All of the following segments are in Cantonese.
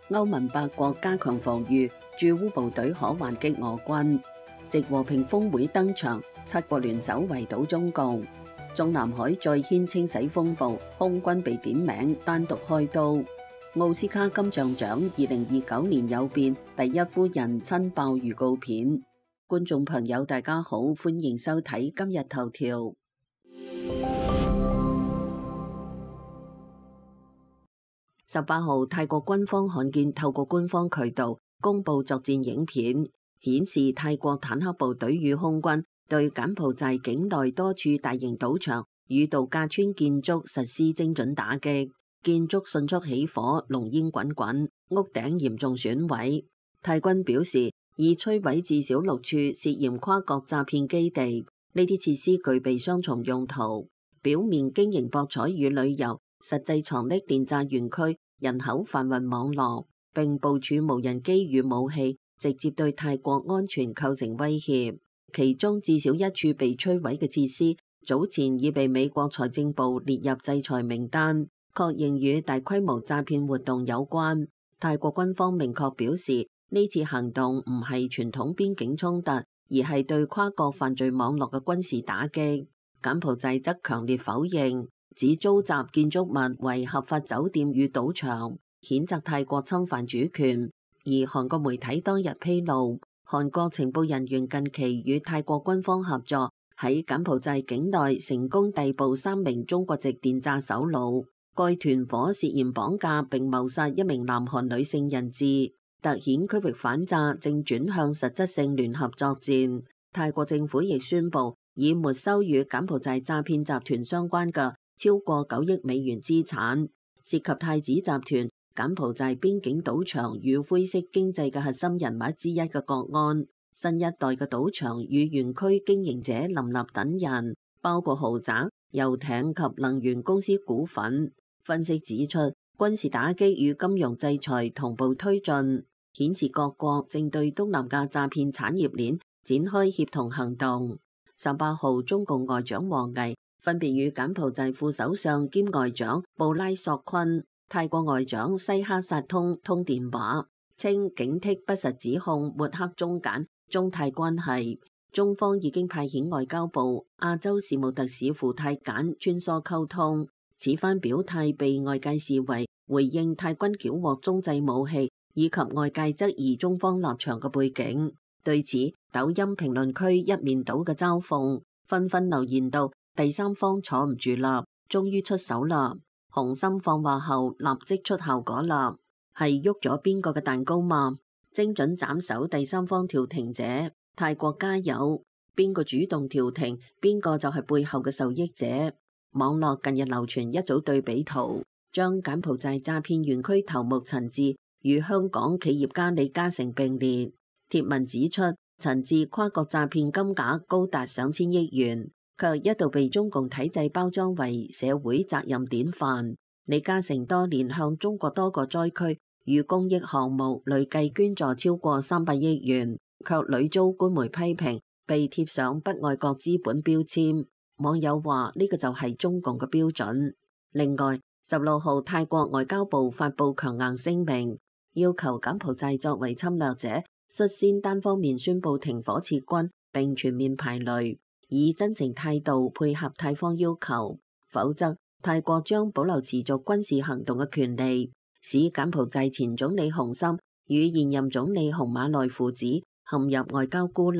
歐盟8國加強防禦，駐烏部隊可還擊俄軍。藉和平峰會登場，7國聯手圍堵中共。中南海再掀清洗風暴，空軍被點名單獨開刀。奧斯卡金像獎2029年有變，第一夫人親爆預告片。觀眾朋友大家好，歡迎收睇今日頭條。18號，泰國軍方罕見透過官方渠道公布作戰影片，顯示泰國坦克部隊與空軍對柬埔寨境內多處大型賭場與度假村建築實施精準打擊，建築迅速起火，濃煙滾滾，屋頂嚴重損毀。泰軍表示，已摧毀至少6處涉嫌跨國詐騙基地，呢啲設施具備雙重用途，表面經營博彩與旅遊，實際藏匿電詐園區、人口販運網絡，並部署無人機與武器，直接對泰國安全構成威脅。其中至少1處被摧毀嘅設施，早前已被美國財政部列入制裁名單，確認與大規模詐騙活動有關。泰國軍方明確表示，呢次行動唔係傳統邊境衝突，而係對跨國犯罪網絡嘅軍事打擊。柬埔寨則強烈否認，指租襲建築物為合法酒店與賭場，譴責泰國侵犯主權。而韓國媒體當日披露，韓國情報人員近期與泰國軍方合作，喺柬埔寨境內成功逮捕3名中國籍電詐首腦。該團伙涉嫌綁架並謀殺1名南韓女性人質，凸顯區域反詐正轉向實質性聯合作戰。泰國政府亦宣布，已沒收與柬埔寨詐騙集團相關嘅超過9億美元資產，涉及太子集團、柬埔寨邊境賭場與灰色經濟嘅核心人物之一嘅國安。新一代嘅賭場與園區經營者林立等人，包括豪宅、遊艇及能源公司股份。分析指出，軍事打擊與金融制裁同步推進，顯示各國正對東南亞詐騙產業鏈展開協同行動。18號，中共外長王毅分別與柬埔寨副首相兼外長布拉索昆、泰國外長西哈薩通電話，稱警惕不實指控，抹黑中柬、中泰關係。中方已經派遣外交部亞洲事務特使赴泰柬穿梭溝通。此番表態被外界視為回應泰軍繳獲中製武器，以及外界質疑中方立場嘅背景。對此，抖音評論區一面倒嘅嘲諷，紛紛留言道：第三方坐唔住啦，終於出手啦！紅心放話後立即出效果啦，係喐咗邊個嘅蛋糕嘛？精準斬首第三方調停者，泰國加油！邊個主動調停，邊個就係背後嘅受益者。網絡近日流傳一組對比圖，將柬埔寨詐騙園區頭目陳志與香港企業家李嘉誠並列。貼文指出，陳志跨國詐騙金額高達上千億元，卻一度被中共體制包裝為社會責任典範。李嘉誠多年向中國多個災區與公益項目累計捐助超過300億元，卻屢遭官媒批評，被貼上不愛國資本標籤。網友話呢個就係中共嘅標準。另外，16號泰國外交部發布強硬聲明，要求柬埔寨作為侵略者，率先單方面宣布停火撤軍，並全面排雷，以真誠態度配合泰方要求，否則泰國將保留持續軍事行動嘅權利，使柬埔寨前總理洪森與現任總理洪馬內父子陷入外交孤立。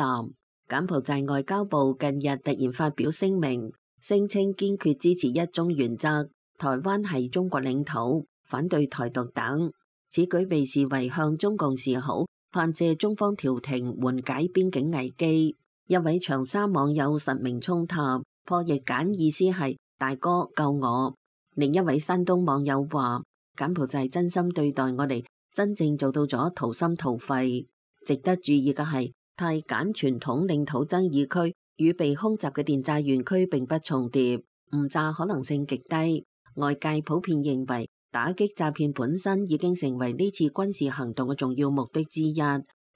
柬埔寨外交部近日突然發表聲明，聲稱堅決支持一中原則，台灣係中國領土，反對台獨等。此舉被視為向中共示好，盼借中方調停緩解邊境危機。一位長沙網友實名衝塔破譯簡意思係大哥救我。另一位山東網友話，柬埔寨真心對待我哋，真正做到咗掏心掏肺。值得注意嘅係，泰柬傳統領土爭議區與被空襲嘅電詐園區並不重疊，誤炸可能性極低。外界普遍認為，打擊詐騙本身已經成為呢次軍事行動嘅重要目的之一。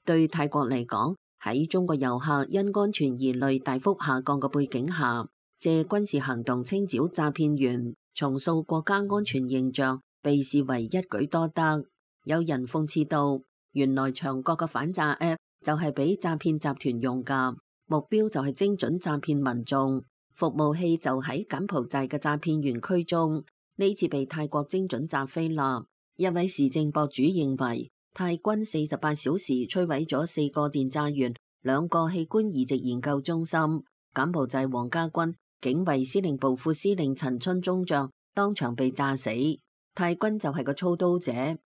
對泰國嚟講，喺中國遊客因安全疑慮大幅下降嘅背景下，借軍事行動清剿詐騙員，重塑國家安全形象，被視為一舉多得。有人諷刺道，原來長國嘅反詐 App 就係俾詐騙集團用㗎，目標就係精準詐騙民眾。服務器就喺柬埔寨嘅詐騙園區中，呢次被泰國精準詐飛啦。一位時政博主認為，泰軍48小時摧毀咗4個電詐園、2個器官移植研究中心。柬埔寨皇家軍警衛司令部副司令陳春中將當場被炸死。泰軍就係個操刀者，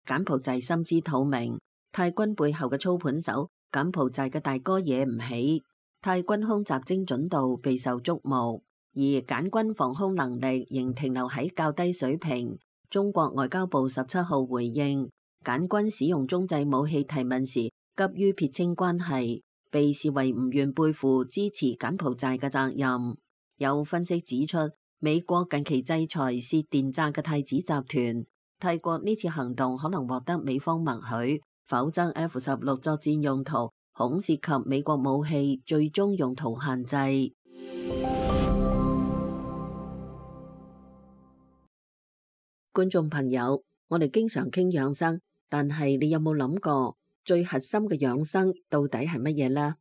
柬埔寨心知肚明。泰軍背後嘅操盤手，柬埔寨嘅大哥惹唔起。泰軍空襲精準度備受矚目，而柬軍防空能力仍停留喺較低水平。中國外交部17號回應，柬軍使用中製武器提問時，急於撇清關係，被視為唔願背負支持柬埔寨嘅責任。有分析指出，美國近期制裁涉電詐嘅太子集團，泰國呢次行動可能獲得美方默許，否則 F-16作戰用途恐涉及美國武器最終用途限制。觀眾朋友，我哋經常傾養生，但係你有冇諗過最核心嘅養生到底係乜嘢呢？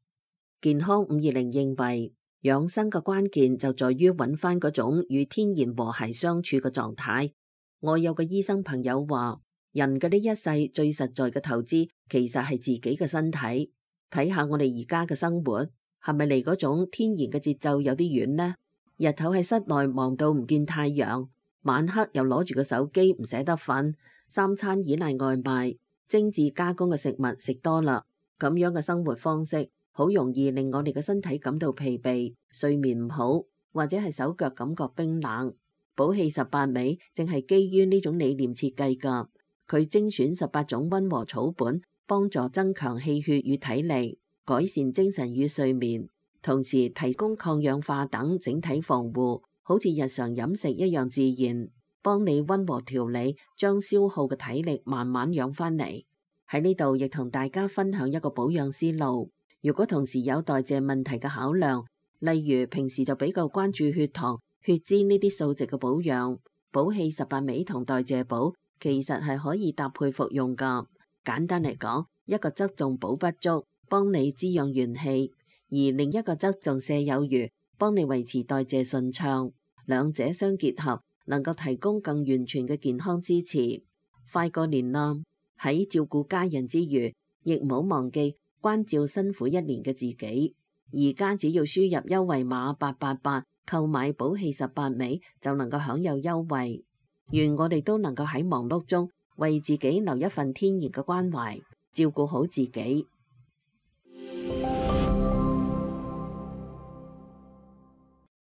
健康520認為，養生嘅關鍵就在於揾翻嗰種與天然和諧相處嘅狀態。我有個醫生朋友話，人嘅呢一世最實在嘅投資其實係自己嘅身體。睇下我哋而家嘅生活，係咪離嗰種天然嘅節奏有啲遠呢？日頭喺室內忙到唔見太陽，晚黑又攞住個手機唔捨得瞓，3餐依賴外賣，精緻加工嘅食物食多啦，咁樣嘅生活方式好容易令我哋嘅身體感到疲憊，睡眠唔好，或者係手腳感覺冰冷。寶氣18味正係基於呢種理念設計㗎，佢精選18種溫和草本，幫助增強氣血與體力，改善精神與睡眠，同時提供抗氧化等整體防護，好似日常飲食一樣自然，幫你溫和調理，將消耗嘅體力慢慢養翻嚟。喺呢度亦同大家分享一個保養思路。如果同時有代謝問題嘅考量，例如平時就比較關注血糖、血脂呢啲數值嘅保養，寶氣18味同代謝寶其實係可以搭配服用㗎。簡單嚟講，一個側重補不足，幫你滋養元氣，而另一個側重瀉有餘，幫你維持代謝順暢。兩者相結合，能夠提供更完全嘅健康支持。快過年啦，喺照顧家人之餘，亦唔好忘記關照辛苦一年嘅自己。而家只要輸入優惠碼888，購買寶氣18味就能夠享有優惠。願我哋都能夠喺忙碌中為自己留一份天然嘅關懷，照顧好自己。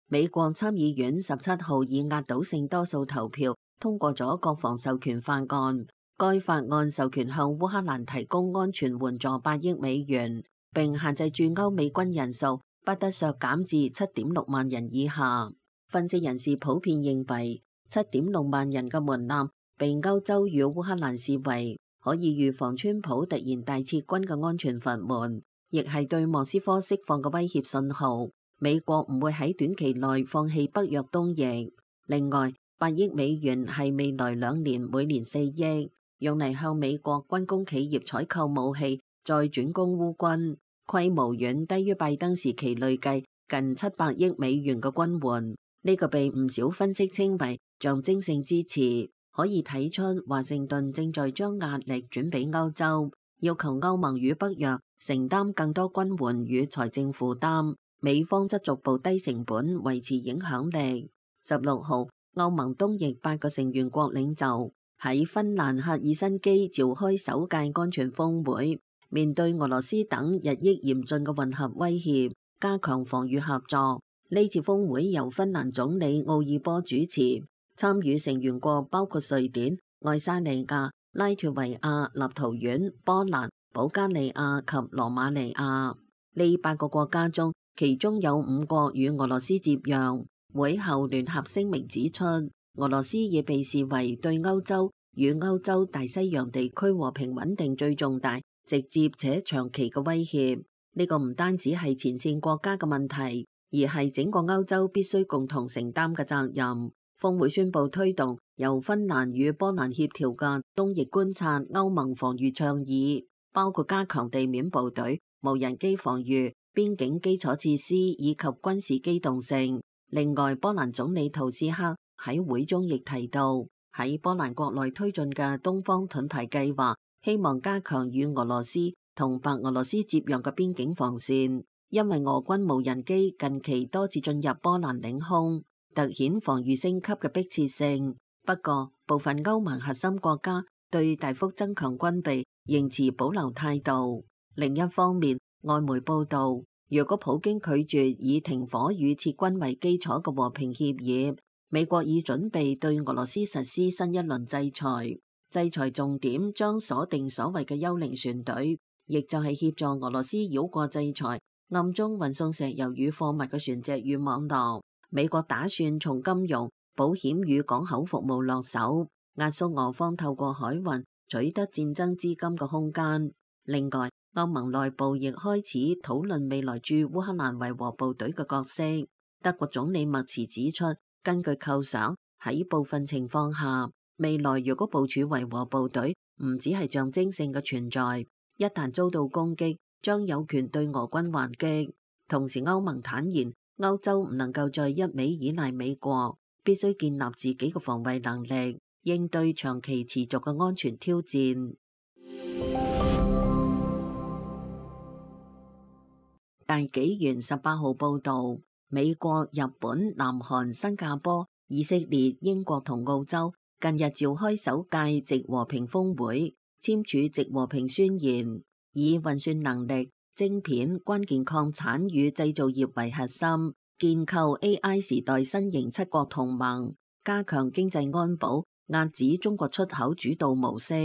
美國參議院17號以壓倒性多數投票通過咗國防授權法案。該法案授權向烏克蘭提供安全援助8億美元，並限制駐歐美軍人數不得削減至7.6萬人以下。分析人士普遍認為，7.6萬人嘅門檻被歐洲與烏克蘭視為可以預防川普突然大撤軍嘅安全閥門，亦係對莫斯科釋放嘅威脅信號。美國唔會喺短期內放棄北約東翼。另外，8億美元係未來2年每年4億，用嚟向美國軍工企業採購武器，再轉供烏軍，規模遠低於拜登時期累計近700億美元嘅軍援。呢個被唔少分析稱為象徵性支持，可以睇出華盛頓正在將壓力轉俾歐洲，要求歐盟與北約承擔更多軍援與財政負擔。美方則逐步低成本維持影響力。16號，歐盟東翼8個成員國領袖喺芬蘭赫爾辛基召開首屆安全峰會，面對俄羅斯等日益嚴峻嘅混合威脅，加強防禦合作。呢次峰會由芬蘭總理奧爾波主持，參與成員國包括瑞典、愛沙尼亞、拉脫維亞、立陶宛、波蘭、保加利亞及羅馬尼亞。呢8個國家中，其中有5個與俄羅斯接壤。會後聯合聲明指出，俄羅斯亦被視為對歐洲與歐洲大西洋地區和平穩定最重大、直接且長期嘅威脅。呢個唔單止係前線國家嘅問題，而係整個歐洲必須共同承擔嘅責任。峰會宣布推動由芬蘭與波蘭協調嘅東翼觀察歐盟防禦倡議，包括加強地面部隊、無人機防禦、邊境基礎設施以及軍事機動性。另外，波蘭總理圖斯克喺會中亦提到，喺波蘭國內推進嘅東方盾牌計劃，希望加強與俄羅斯同白俄羅斯接壤嘅邊境防線，因為俄軍無人機近期多次進入波蘭領空，凸顯防禦升級嘅迫切性。不過，部分歐盟核心國家對大幅增強軍備仍持保留態度。另一方面，外媒報道，若果普京拒絕以停火與撤軍為基礎嘅和平協議，美國已準備對俄羅斯實施新一輪制裁。制裁重點將鎖定所謂嘅幽靈船隊，亦就係協助俄羅斯繞過制裁，暗中運送石油與貨物嘅船隻與網絡。美國打算從金融、保險與港口服務落手，壓縮俄方透過海運取得戰爭資金嘅空間。另外，歐盟內部亦開始討論未來駐烏克蘭維和部隊嘅角色。德國總理默茨指出，根據構想，喺部分情況下，未來如果部署維和部隊，唔只係象徵性嘅存在，一旦遭到攻擊，將有權對俄軍還擊。同時，歐盟坦言，歐洲唔能夠再一味依賴美國，必須建立自己嘅防衛能力，應對長期持續嘅安全挑戰。大紀元18號報導，美國、日本、南韓、新加坡、以色列、英國同澳洲近日召開首屆矽和平峰會，簽署矽和平宣言，以運算能力、晶片、關鍵礦產與製造業為核心，建構 AI 時代新型七國同盟，加強經濟安保，遏止中國出口主導模式。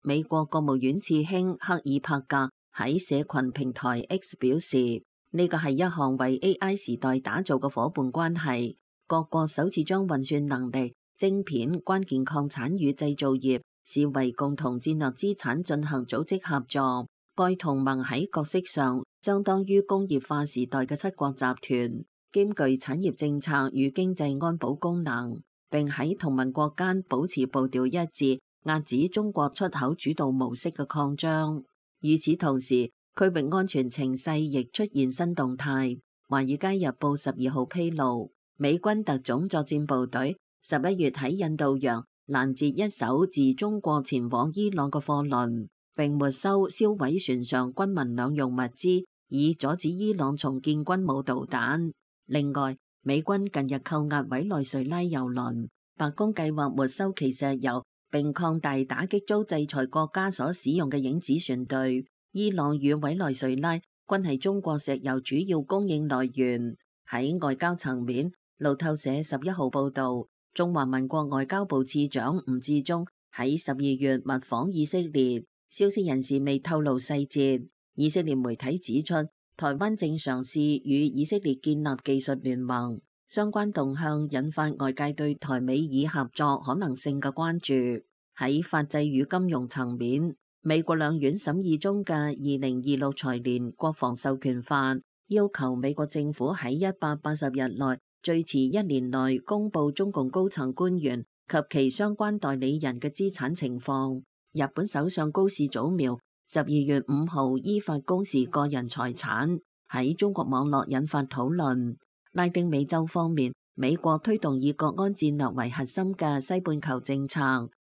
美國國務院次卿克爾帕格喺社群平台 X 表示，呢個係一項為 AI 時代打造嘅夥伴關係，各國首次將運算能力、晶片、關鍵礦產與製造業視為共同戰略資產進行組織合作。該同盟喺角色上相當於工業化時代嘅七國集團，兼具產業政策與經濟安保功能，並喺同盟國間保持步調一致，遏止中國出口主導模式嘅擴張。與此同時，區域安全情勢亦出現新動態。華爾街日報12號披露，美軍特種作戰部隊11月喺印度洋攔截一艘自中國前往伊朗嘅貨輪，並沒收銷毀船上軍民兩用物資，以阻止伊朗重建軍武導彈。另外，美軍近日扣押委內瑞拉油輪，白宮計劃沒收其石油，並擴大打擊遭制裁國家所使用嘅影子船隊。伊朗與委內瑞拉均係中國石油主要供應來源。喺外交層面，路透社11號報導，中華民國外交部次長吳志忠喺12月密訪以色列，消息人士未透露細節。以色列媒體指出，台灣正嘗試與以色列建立技術聯盟，相關動向引發外界對台美以合作可能性嘅關注。喺法制與金融層面，美國兩院審議中嘅2026財年國防授權法，要求美國政府喺180日內，最遲1年內公布中共高層官員及其相關代理人嘅資產情況。日本首相高市早苗12月5號依法公示個人財產，喺中國網絡引發討論。拉丁美洲方面，美國推動以國安戰略為核心嘅西半球政策，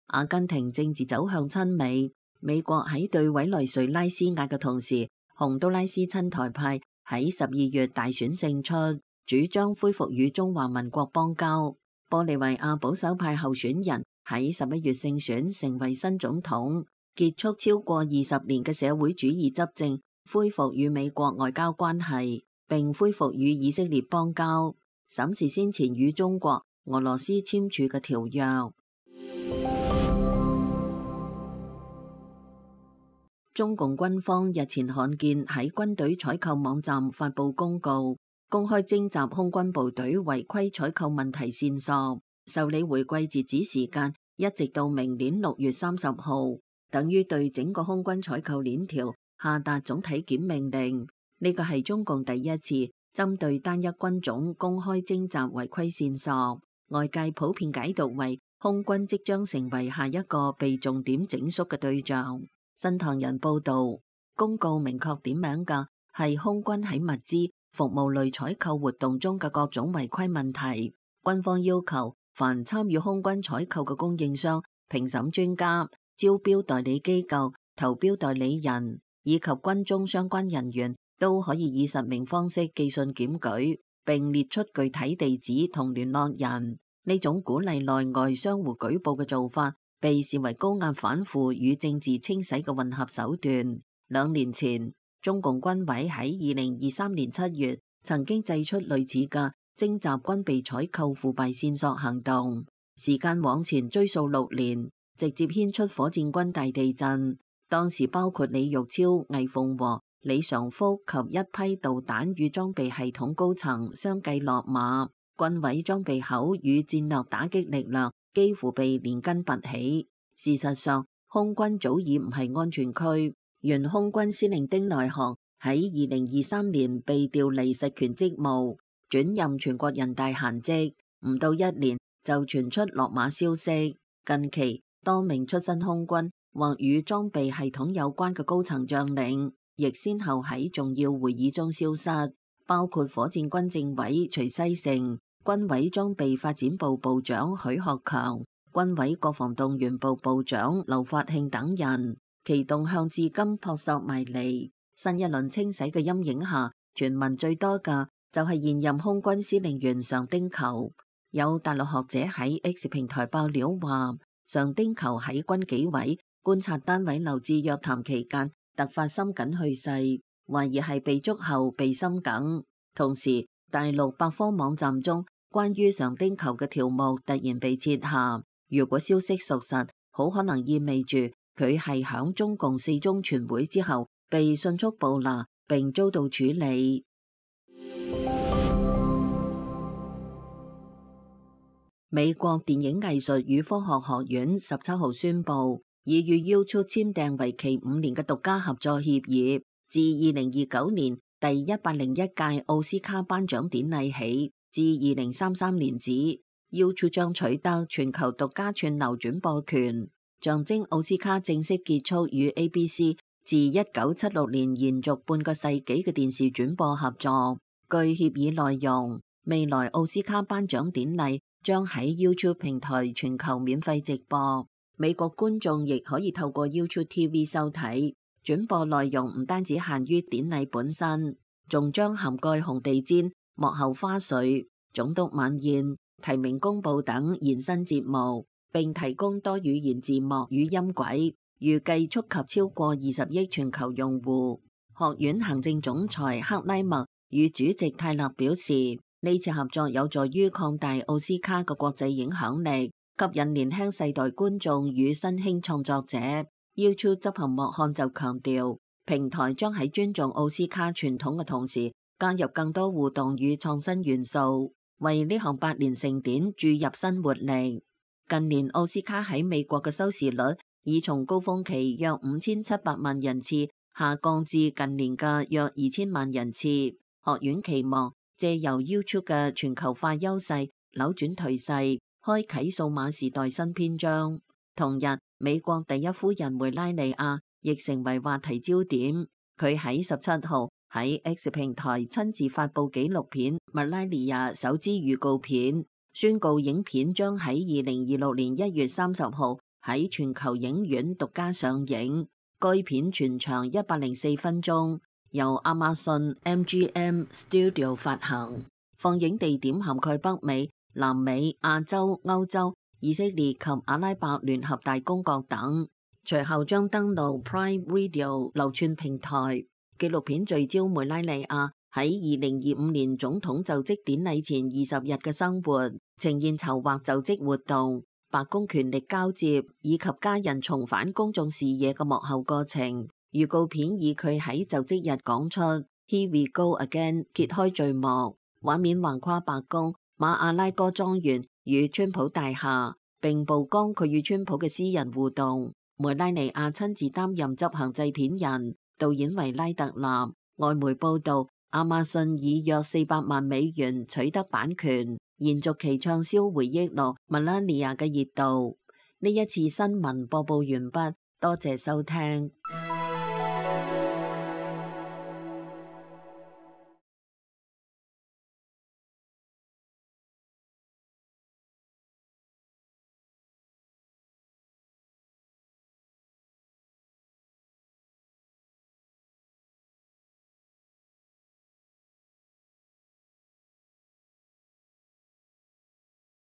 阿根廷政治走向親美。美國喺對委內瑞拉施壓嘅同時，洪都拉斯親台派喺12月大選勝出，主張恢復與中華民國邦交。玻利維亞保守派候選人喺11月勝選成為新總統，結束超過20年嘅社會主義執政，恢復與美國外交關係，並恢復與以色列邦交，審視先前與中國、俄羅斯簽署嘅條約。中共軍方日前罕見喺軍隊採購網站發布公告，公開徵集空軍部隊違規採購問題線索，受理回饋截止時間一直到明年6月30號，等於對整個空軍採購鏈條下達總體檢命令。呢個係中共第一次針對單一軍種公開徵集違規線索。外界普遍解讀為空軍即將成為下一個被重點整肅嘅對象。新唐人報導，公告明確點名嘅係空軍喺物資、服務類採購活動中嘅各種違規問題。軍方要求凡參與空軍採購嘅供應商、評審專家、招標代理機構、投標代理人以及軍中相關人員都可以以實名方式寄信檢舉，並列出具體地址同聯絡人。呢種鼓勵內外相互舉報嘅做法，被視為高壓反腐與政治清洗嘅混合手段。2年前，中共軍委喺2023年7月曾經祭出類似嘅徵集軍備採購腐敗線索行動。時間往前追溯6年，直接牽出火箭軍大地震。當時包括李玉超、魏鳳和、李尚福及一批導彈與裝備系統高層相繼落馬，軍委裝備口與戰略打擊力量幾乎被連根拔起。事實上，空軍早已唔係安全區。原空軍司令丁來航喺2023年被調離實權職務，轉任全國人大閒職，唔到1年就傳出落馬消息。近期多名出身空軍或與裝備系統有關嘅高層將領，亦先後喺重要會議中消失，包括火箭軍政委徐西成、軍委裝備發展部部長許學強、軍委國防動員部部長劉發慶等人。其動向至今撲朔迷離。新一輪清洗嘅陰影下，傳聞最多嘅就係現任空軍司令員常丁球。有大陸學者喺 X 平台爆料話，常丁球喺軍紀委觀察單位留置約談期間突發心梗去世，懷疑係被捉後被心梗。同時，大陸百科網站中關於常丁球嘅條目突然被撤下。如果消息屬實，好可能意味住佢係響中共4中全會之後被迅速捕拿並遭到處理。美國電影藝術與科學學院17號宣布，已與 YouTube 簽訂為期5年嘅獨家合作協議，自2029年第101屆奧斯卡頒獎典禮起至2033年止， YouTube 將取得全球獨家串流轉播權。象徵奧斯卡正式結束與 ABC 自1976年延續半個世紀嘅電視轉播合作。據協議內容，未來奧斯卡頒獎典禮將喺 YouTube 平台全球免費直播，美國觀眾亦可以透過 YouTube TV 收睇。轉播內容唔單止限於典禮本身，仲將涵蓋紅地毯、幕後花絮、總督晚宴、提名公佈等延伸節目，並提供多語言字幕與音軌，預計觸及超過20億全球用戶。學院行政總裁克拉默與主席泰勒表示，呢次合作有助於擴大奧斯卡嘅國際影響力，吸引年輕世代觀眾與新興創作者。YouTube 執行幕漢就強調，平台將喺尊重奧斯卡傳統嘅同時，加入更多互動與創新元素，為呢項百年盛典注入新活力。近年奧斯卡喺美國嘅收視率已從高峰期約5700萬人次下降至近年嘅約2000萬人次。學院期望借由 YouTube 嘅全球化優勢扭轉頹勢，開啟數碼時代新篇章。同日，美國第一夫人梅拉尼亞亦成為話題焦點。佢喺17號喺 X 平台親自發布紀錄片《梅拉尼亞》首支預告片，宣告影片將喺2026年1月30號喺全球影院獨家上映。該片全長104分鐘，由亞馬遜 MGM Studio 發行，放映地點涵蓋北美、南美、亞洲、歐洲、以色列及阿拉伯聯合大公國等。隨後將登陸 Prime Video 流串平台。紀錄片聚焦梅拉尼亞喺2025年總統就職典禮前20日嘅生活，呈現籌劃就職活動、白宮權力交接以及家人重返公眾視野嘅幕後過程。預告片以佢喺就職日講出 Here we go again 揭開序幕，畫面橫跨白宮、馬阿拉哥莊園與川普大廈，並曝光佢與川普嘅私人互動。梅拉尼亞親自擔任執行製片人，導演為拉特納。外媒報道，亞馬遜以約400萬美元取得版權，延續其暢銷回憶錄《Melania》嘅熱度。呢一次新聞播報完畢，多謝收聽。